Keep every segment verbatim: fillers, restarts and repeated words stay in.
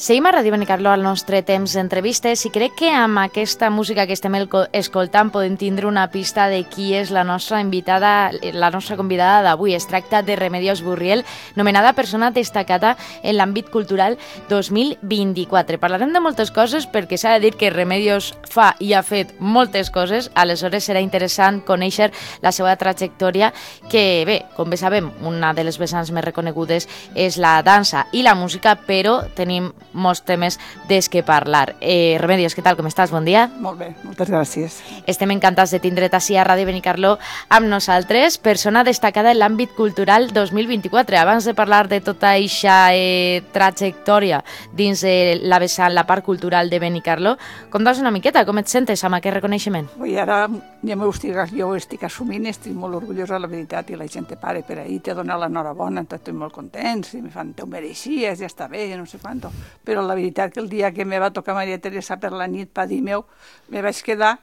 Seguim a Ràdio Benicarló al nostre temps d'entrevistes i crec que amb aquesta música que estem escoltant podem tindre una pista de qui és la nostra invitada, la nostra convidada d'avui. Es tracta de Remedios Gurriel, nomenada persona destacada en l'àmbit cultural dos mil vint-i-quatre. Parlarem de moltes coses perquè s'ha de dir que Remedios fa i ha fet moltes coses, aleshores serà interessant conèixer la seva trajectòria que, bé, com bé sabem, una de les vessants més reconegudes és la dansa i la música, però tenim molts temes des que parlar. Eh, Remedios, què tal? Com estàs? Bon dia. Molt bé, moltes gràcies. Estem encantats de tindre't ací a Ràdio Benicarló amb nosaltres, persona destacada en l'àmbit cultural dos mil vint-i-quatre. Abans de parlar de tota aquesta eh, trajectòria dins de la vessant, la part cultural de Benicarló, conta'ns una miqueta, com et sentes amb aquest reconeixement? Ui, ara ja m'ho estic, jo ho estic assumint, estic molt orgullosa, la veritat, i la gent te pare per ahir, te dona l'enhorabona, estic molt content, i em fan, te ho mereixies, ja està bé, no sé quant. Però la veritat que el dia que me va tocar Maria Teresa per la nit, pa dir meu, me vaig quedar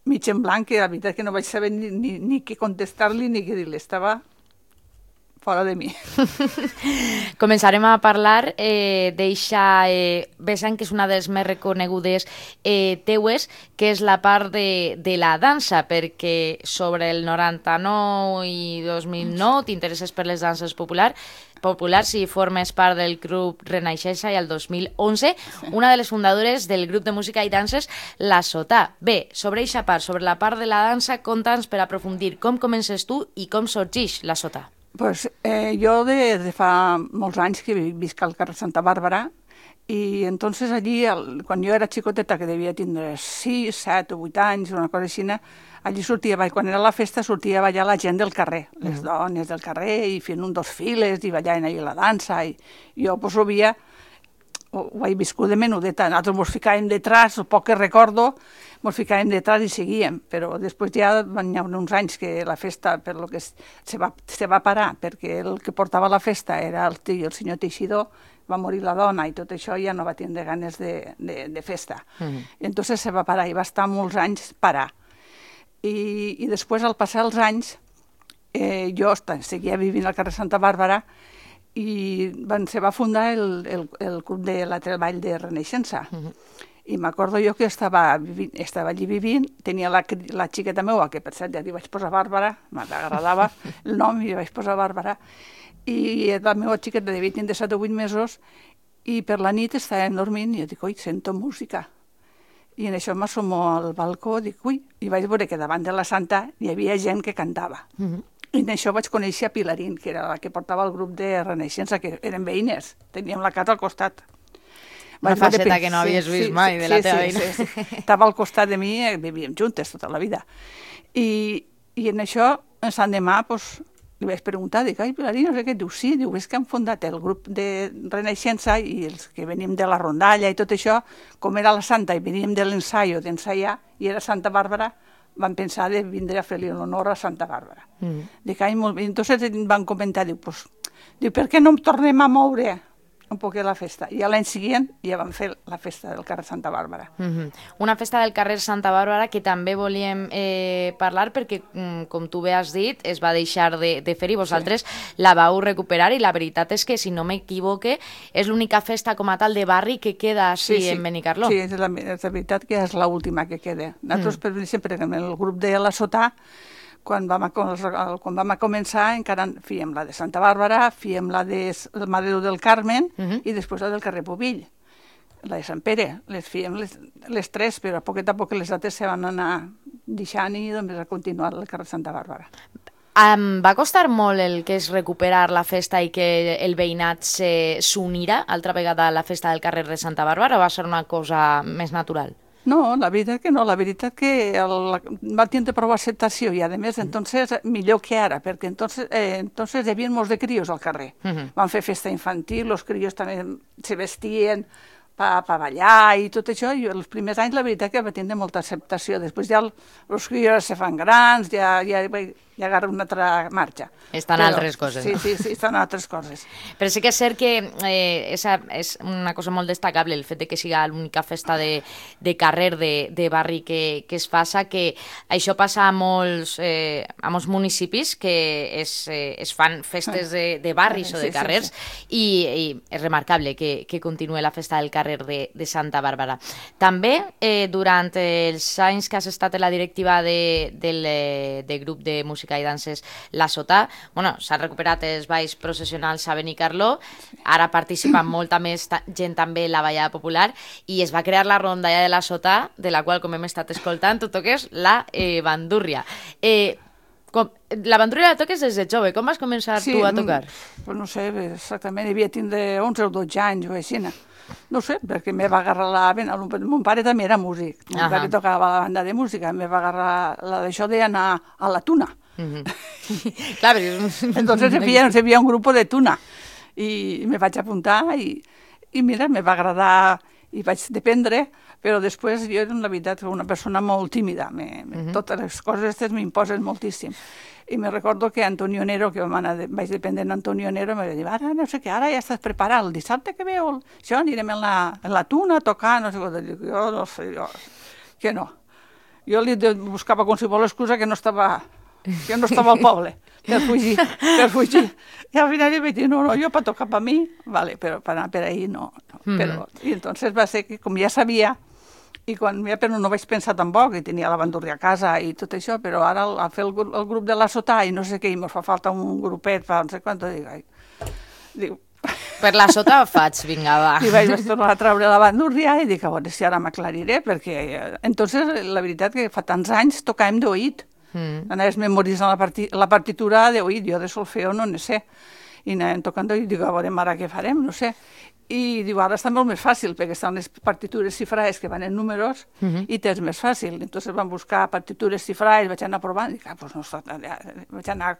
mig en blanc, que la veritat que no vaig saber ni, ni, ni què contestar-li ni què dir-li, estava fora de mi. Començarem a parlar eh, d'eixa eh, vessant, que és una de les més reconegudes eh, teues, que és la part de, de la dansa, perquè sobre el noranta-nou i dos mil nou t'interesses per les danses populars, populars i formes part del grup Renaixença i el dos mil onze, una de les fundadores del grup de música i danses La Sotà. Bé, sobre eixa part, sobre la part de la dansa, conta'ns per aprofundir com comences tu i com sorgeix La Sotà. Pues, eh, jo de, de fa molts anys que visc al carrer Santa Bàrbara i entonces allí, el, quan jo era xicoteta, que devia tindre sis, set o vuit anys, una cosa així, allí sortia, quan era la festa, sortia a ballar la gent del carrer, les mm. dones del carrer, i fent un dos files, i ballant allà la dansa, i jo pues, ho havia, ho, ho he viscut de menudeta, nosaltres mos ficàvem detrás, el poc que recordo, mos ficàvem detrás i seguíem, però després ja van hi ha uns anys que la festa, per lo que se va, se va parar, perquè el que portava la festa era el, el senyor Teixidor, va morir la dona i tot això ja no va tindre ganes de, de, de festa. Mm. I entonces se va parar i va estar molts anys parar. I, i després, al passar els anys, eh, jo seguia vivint al carrer Santa Bàrbara i van, se va fundar el, el, el club de la treball de Renaixença. Mm-hmm. I m'acordo jo que estava, vivint, estava allí vivint, tenia la, la xiqueta meua, que per cert ja li vaig posar Bàrbara, m'agradava el nom i li vaig posar Bàrbara, i la meva xiqueta devia tindre set o vuit mesos, i per la nit estàvem dormint i jo dic, ui, sento música. I en això m'assomo al balcó, dic, ui, i vaig veure que davant de la Santa hi havia gent que cantava. Mm-hmm. I en això vaig conèixer a Pilarín, que era la que portava el grup de Renaixença, que eren veïnes, teníem la casa al costat. Una faceta que no havies vist sí, mai sí, de la sí, teva sí, vida. Sí, sí. Estava al costat de mi, vivíem juntes tota la vida. I, i en això, l'endemà, pues, li vaig preguntar, dic, ai, Pilarín, no sé què, diu, sí, diu, és que han fundat el grup de Renaixença i els que venim de la rondalla i tot això, com era la Santa i veníem de l'ensaio d'ensaiar i era Santa Bàrbara, van pensar de vindre a fer-li l'honor a Santa Bàrbara. Mm. Dic, ai, molt bé. Entonces van comentar, diu, pues, diu, per què no em tornem a moure un poc la festa? I l'any següent ja vam fer la festa del carrer Santa Bàrbara. Mm-hmm. Una festa del carrer Santa Bàrbara que també volíem eh, parlar perquè, mm, com tu bé has dit, es va deixar de, de fer i vosaltres sí. la vau recuperar i la veritat és que, si no m'equivoque, és l'única festa com a tal de barri que queda així sí, sí. en Benicarló. Sí, és la, és la veritat que és l'última que queda. Nosaltres, mm. per exemple, en el grup de La Sotà, quan vam, a, quan vam a començar encara fèiem la de Santa Bàrbara, fèiem la de Mare de Déu del Carmen uh-huh. i després la del carrer Pubill, la de Sant Pere. Les fèiem les, les tres, però a poquet a poc les altres se van anar deixant i només a continuar el carrer Santa Bàrbara. Um, va costar molt el que és recuperar la festa i que el veïnat s'unira altra vegada a la festa del carrer de Santa Bàrbara, o va ser una cosa més natural? No, la veritat que no, la veritat que el, va tindre prou acceptació i a més, entonces, millor que ara, perquè entonces, eh, entonces hi havia molts de crios al carrer. Uh-huh. Van fer festa infantil, els crios també se vestien per pa ballar i tot això, i els primers anys la veritat que va tindre molta acceptació. Després ja els crios se fan grans, ja, ja i agarra una altra marxa. Estan Però, altres coses. Sí, no? sí, sí, estan altres coses. Però sí que és cert que eh, esa és una cosa molt destacable, el fet de que siga l'única festa de, de carrer, de, de barri que, que es faça, que això passa a molts, eh, a molts municipis que es, eh, es fan festes de, de barris Sí, o de sí, carrers sí. i, i és remarcable que, que continuï la festa del carrer de, de Santa Bàrbara. També, eh, durant els anys que has estat en la directiva de, del, eh, de grup de música i danses La Sotà, bueno, s'han recuperat els balls processionals a Benicarló, ara participa molta més ta gent també en la ballada popular i es va crear la rondalla de La Sotà, de la qual, com hem estat escoltant, tu toques la eh, bandúrria. Eh, com, la bandúrria la toques des de jove, com vas començar Sí, tu a tocar? mm, pues no sé, exactament, devia tindre onze o dotze anys o així. No sé, perquè me va agarrar la... Mon pare també era músic, mon Ahà. pare tocava a la banda de música, me va agarrar la d'això d'anar a la tuna. Mm -hmm. Clar, però... Entonces havia, havia un grup de tuna i me vaig apuntar i, i mira, me va agradar i vaig dependre, però després jo era, la veritat, una persona molt tímida. Me, me, uh -huh. Totes les coses aquestes m'imposen moltíssim. I me recordo que Antonio Nero, que vam anar de, vaig dependre d'Antonio Nero, me va dir, ara no sé què, ara ja estàs preparat, el dissabte que ve, això anirem en la, en la tuna a tocar, no sé què. Dic, jo no sé, jo, que no. Jo li buscava qualsevol excusa que no estava... que no estava al poble, per fugir, per fugir. I al final li vaig dir, no, no, jo per tocar per mi, vale, però per anar per ahí no. no. Mm. Però, i entonces va ser que, com ja sabia, i quan ja, però no vaig pensar tampoc, que tenia la bandúrria a casa i tot això, però ara al fer el, el grup de La Sotà i no sé què, i mos fa falta un grupet, fa no sé quant, dic, ai, dic, per La Sotà ho faig, vinga, va. I vaig tornar a treure la bandúrria i dic, a veure si ara m'aclariré, perquè entonces la veritat que fa tants anys tocàvem d'oït. Mm. Anaves memoritzant la, parti la partitura d'oït, jo de solfeo no ne sé. I anàvem tocant d'oït, dic, a veure, ara què farem, no sé. I diu, ara està molt més fàcil, perquè estan les partitures cifrades que van en números, uh -huh. i tens més fàcil. Entonces vam buscar partitures cifrades, vaig anar provant, i dic, ah, doncs no està... Vaig anar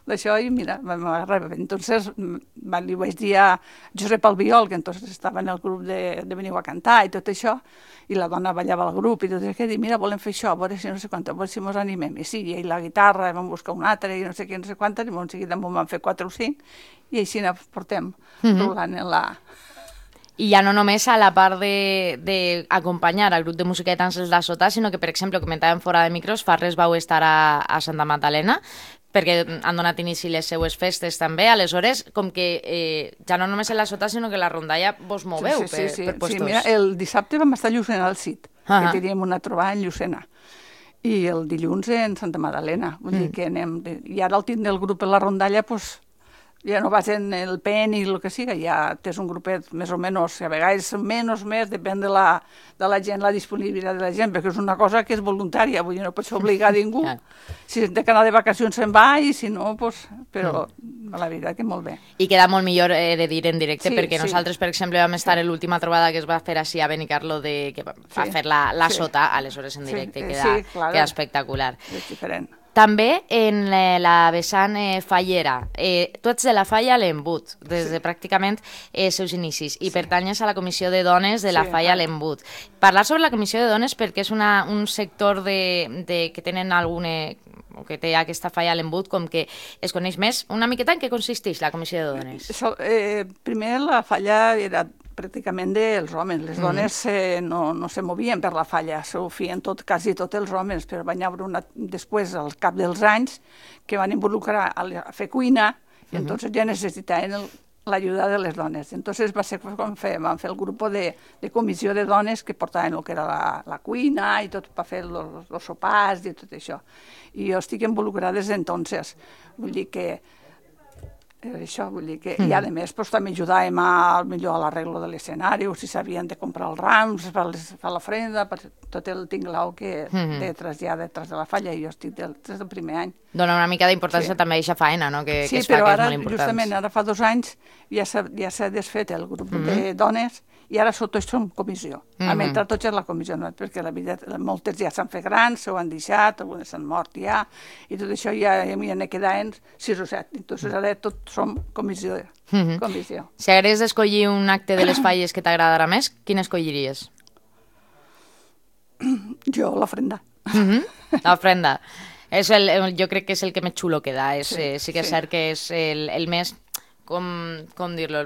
d'això i mira, vam agarrar. Entonces li vaig dir a Josep Albiol, que entonces estava en el grup de, de Veniu a cantar i tot això, i la dona ballava al grup i tot això, i dic, mira, volem fer això, a veure si no sé quant, a veure si mos animem. I sí, i la guitarra, vam buscar una altra, i no sé què, no sé quantes, i en seguida en vam fer quatre o cinc, i així portem uh -huh. rolant en la... I ja no només a la part d'acompanyar al grup de música i danses La Sotà, sinó que, per exemple, comentàvem fora de micros, fa res vau estar a, a Santa Magdalena, perquè han donat inici les seues festes també, aleshores, com que eh, ja no només en La Sotà, sinó que la rondalla vos moveu sí, sí, per, sí, per puestos. Sí, mira, el dissabte vam estar a Llucena al C I T, uh -huh. que teníem una trobada en Llucena, i el dilluns en Santa Magdalena, vull mm. dir que anem... De... I ara el tindre el grup en la rondalla, doncs... Pues, ja no vas en el P E N i el que siga, ja tens un grupet més o menys, a vegades menys, més, depèn de la, de la gent, la disponibilitat de la gent, perquè és una cosa que és voluntària, vull dir, no pots obligar a ningú. Si té que anar de vacacions se'n va i si no, doncs... Però mm. la veritat que molt bé. I queda molt millor eh, de dir en directe, sí, perquè sí. nosaltres, per exemple, vam estar sí. en l'última trobada que es va fer així a Benicarló, de, que va sí. fer la, la sí. Sotà, aleshores en directe, sí. queda, sí, claro. queda espectacular. És diferent. També en la vessant eh, fallera. Eh, tu ets de la Falla a l'Embut, des de sí. pràcticament els seus inicis, i sí. pertanyes a la Comissió de Dones de la sí, Falla a l'Embut. Parlar sobre la Comissió de Dones perquè és una, un sector de, de, que tenen alguna... o que té aquesta Falla a l'Embut, com que es coneix més una miqueta en què consisteix la Comissió de Dones. So, eh, primer la Falla era pràcticament dels homes. Les dones mm. eh, no, no se movien per la Falla, s'ho fien tot, quasi tots els homes, però va haver una, després, al cap dels anys, que van involucrar a, a fer cuina, i mm -hmm. entonces ja necessitaven l'ajuda de les dones. Entonces va ser com fer, van fer el grup de, de comissió de dones que portaven el que era la, la cuina i tot per fer els sopars i tot això. I jo estic involucrada des d'entonces. Vull dir que això, vull dir que, mm. i a més pues, també ajudàvem a, millor a l'arreglo de l'escenari, o si s'havien de comprar els rams, per, les, per l'ofrenda, per tot el tinglau que mm. de trasllar detrás de la Falla, i jo estic del, des del primer any. Dona una mica d'importància sí. també a aquesta faena, no? que, sí, que es fa, però que ara, és molt important. justament, ara fa dos anys ja s'ha ja desfet el grup mm. de dones, i ara tots som comissió. Mm -hmm. Hem entrat tots a la comissió, no? Perquè la veritat, moltes ja s'han fet grans, s'ho han deixat, algunes s'han mort ja, i tot això ja, ja m'hi quedaven sis o set. Entonces ara tots som comissió. Mm -hmm. comissió. Si hagués d'escollir un acte de les falles que t'agradarà més, quin escolliries? Jo, l'ofrenda. Mm -hmm. L'ofrenda. És el, jo crec que és el que més xulo queda. És, Sí, eh, sí que és sí. cert que és el, el més, com, com dir-lo,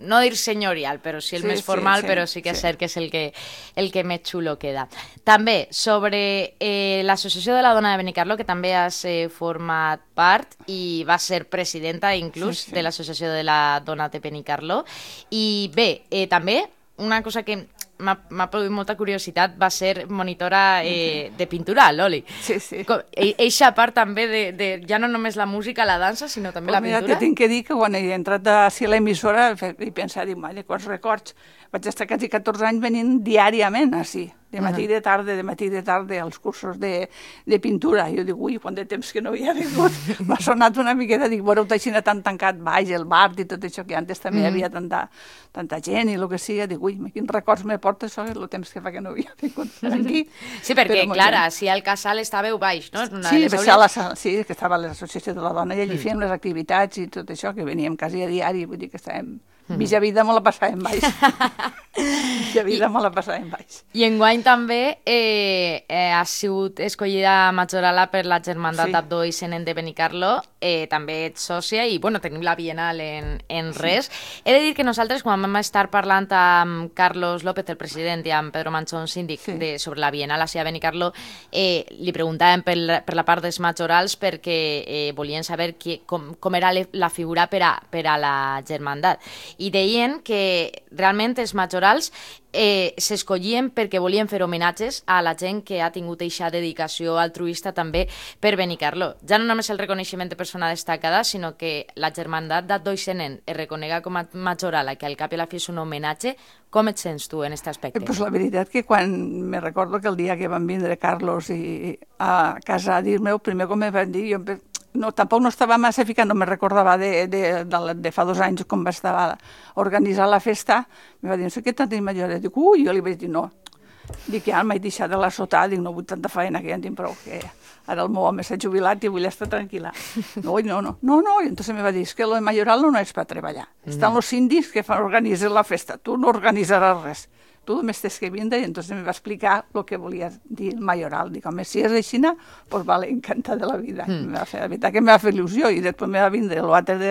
no dir senyorial, però sí el Sí, més sí, formal, sí, però sí que és sí. cert que és el que, el que més xulo queda. També sobre eh, l'Associació de la Dona de Benicarló, que també has eh, format part i va ser presidenta inclús Sí, sí. de l'Associació de la Dona de Benicarló. I bé, eh, també una cosa que m'ha m'ha produït molta curiositat va ser monitora eh, de pintura a l'oli. Sí, sí. Com- e- Eixa part també de, de ja no només la música, la dansa, sinó també Pues la mira, pintura. te tinc que dir que quan he entrat així a l'emissora he pensat, dic, mare, quants records. Vaig estar quasi catorze anys venint diàriament així, de matí i de tarda, de matí i de tarda, als cursos de, de pintura. I jo dic, ui, quant de temps que no havia vingut. M'ha sonat una miqueta, dic, veureu, així tan tancat baix, el bar i tot això, que antes també hi havia tanta, tanta gent i el que sigui. Dic, ui, quins records me porta això, el temps que fa que no havia vingut aquí. Sí, perquè, Però molt clar, bé. si al casal estàveu baix, no? Una Sí, de les per això aules- la, sí, que estava a l'Associació de la Dona i allí fèiem les activitats i tot això, que veníem quasi a diari, vull dir que estàvem... Mitja vida me la passàvem baix. Mitja vida me la passàvem baix. I enguany també eh, eh, ha sigut escollida majorala per la Germandat Sí. d'Abdó i Senent de Benicarló, eh, també ets sòcia i bueno, tenim la Bienal en, en res. He de dir que nosaltres, quan vam estar parlant amb Carlos López, el president, i amb Pedro Manchón, síndic, Sí. de, sobre la Bienal a Benicarló, eh, li preguntàvem per, la- per la part dels majorals perquè eh, volien saber qui, com, com era le- la figura per a, per a la Germandat. I deien que realment els majorals eh, s'escollien perquè volien fer homenatges a la gent que ha tingut eixa dedicació altruista també per Benicarló. Ja no només el reconeixement de persona destacada, sinó que la Germandat d'Abdó i Senent es reconega com a majorala, que al cap i a la fi és un homenatge. Com et sents tu en aquest aspecte? Eh, pues la veritat que quan me recordo que el dia que van vindre Carlos i a casa a dir-me, primer com me van dir, jo empe- no, tampoc no estava massa ficat, no me recordava de, de, de, la- de fa dos anys com va estar organitzar la festa, me va dir, no sé què tant tenim allò, dic, ui, jo li vaig dir, no, dic, ja m'he deixat de la sota, dic, no vull tanta feina, que ja en tinc prou, que ara el meu home s'ha jubilat i vull estar tranquil·la. No, no, no, no, no, i entonces me va dir, es que lo de mayoral no és per treballar, estan los síndics que fan organitzar la festa, tu no organitzaràs res. Tu només tens que vindre, i entonces me va explicar el que volia dir el mayoral. Dic, home, si és així, pues vale, encantada de la vida. Mm. Va fer, la veritat que em va fer il·lusió, i després me va vindre l'altre de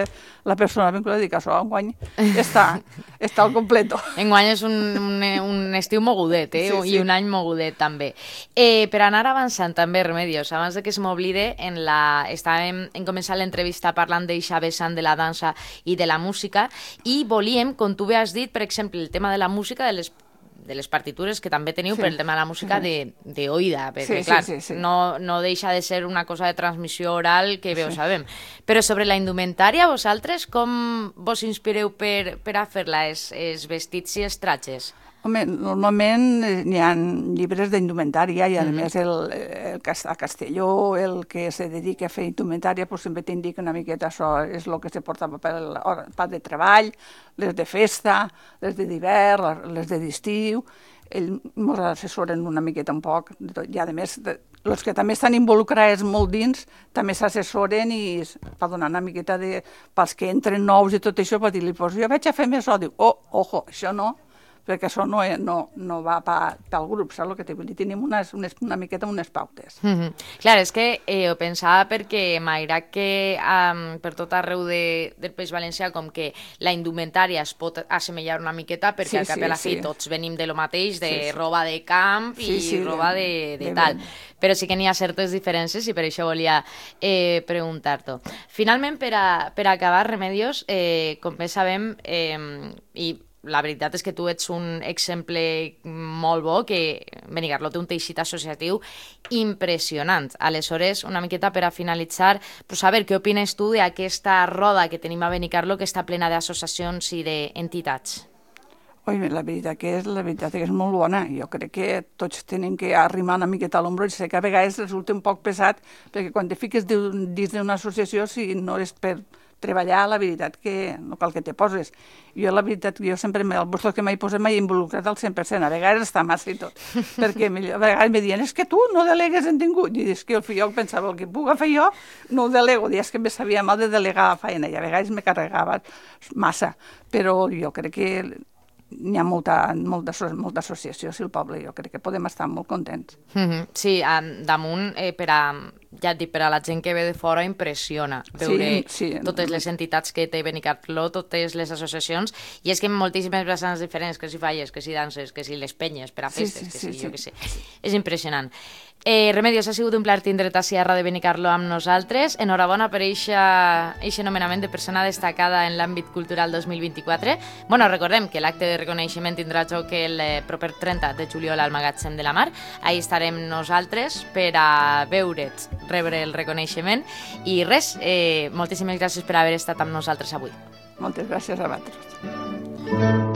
la persona vinculada, dic, això enguany està, està al completo. Enguany és un, un, un estiu mogudet, eh? Sí, sí. I un any mogudet, també. Eh, per anar avançant, també, Remedios, abans de que es m'oblide, en la... estàvem en començar l'entrevista parlant d'eixa vessant de la dansa i de la música, i volíem, com tu bé has dit, per exemple, el tema de la música, de les de les partitures que també teniu Sí. per el tema de la música Sí. de, de oïda, perquè Sí, sí, clar, sí, sí. No, no deixa de ser una cosa de transmissió oral que bé ho Sí. sabem. Però sobre la indumentària, vosaltres com vos inspireu per, per a fer-la, els, els vestits i els tratges? Home, normalment eh, n'hi ha llibres d'indumentària i a mm -hmm. més el, el, cas- a Castelló, el que se dedica a fer indumentària, pues, sempre t'indica una miqueta això és el que se portava per el pas de treball, les de festa, les de d'hivern, les de d'estiu, ells ens assessoren una miqueta un poc, de tot. I a més, de, els que també estan involucrats molt dins, també s'assessoren i es- per donar una miqueta de... pels que entren nous i tot això, per dir-li, pues, jo vaig a fer més això, diu, oh, ojo, això no, perquè això no, no, no va pa, pel grup, saps el que t'he dit? Tenim unes, unes, una miqueta unes pautes. Mm -hmm. Clar, és que eh, ho pensava perquè malgrat que um, per tot arreu de, del País Valencià com que la indumentària es pot assemellar una miqueta perquè Sí, al cap i a la sí, fi sí. tots venim de lo mateix, de Sí, sí. roba de camp i Sí, sí, roba de- de, de, de tal. ben. Però sí que n'hi ha certes diferències i per això volia eh, preguntar-t'ho. Finalment, per, a, per a acabar, Remedios, eh, com bé sabem, eh, i la veritat és que tu ets un exemple molt bo, que Benicarló té un teixit associatiu impressionant. Aleshores, una miqueta per a finalitzar, pues a veure, què opines tu d'aquesta roda que tenim a Benicarló, que està plena d'associacions i d'entitats? Oi, la veritat que és, la veritat que és molt bona. Jo crec que tots tenim que arrimar una miqueta a l'ombro i sé que a vegades resulta un poc pesat, perquè quan te fiques d'un- dins d'una associació, si no és per treballar, la veritat que no cal que te poses. Jo, la veritat, jo sempre, el lloc que m'he posat, m'he involucrat al cent per cent, a vegades està massa i tot, perquè millor- a vegades me diuen, és que tu no delegues en ningú, i és que el jo pensava, el que puc fer jo, no ho delego, i és que me sabia mal de delegar la feina, i a vegades me carregava massa, però jo crec que n'hi ha molta, molta, asso- molta associació, si el poble, jo crec que podem estar molt contents. Mm -hmm. Sí, um, damunt, eh, per a ja et dic, per a la gent que ve de fora impressiona veure sí, sí. totes les entitats que té Benicarló, totes les associacions, i és que en moltíssimes vessants diferents, que si falles, que si danses, que si les penyes per a festes, sí, sí, que si sí, jo que sí. sé. És impressionant. Eh, Remedios, ha sigut un plaer tindre't a Sierra de Benicarló amb nosaltres. Enhorabona per aquest nomenament de persona destacada en l'àmbit cultural dos mil vint-i-quatre. Bueno, recordem que l'acte de reconeixement tindrà lloc el eh, proper trenta de juliol al Magatzem de la Mar. Ahí estarem nosaltres per a veure't, rebre el reconeixement. I res, eh, moltíssimes gràcies per haver estat amb nosaltres avui. Moltes gràcies a vosaltres.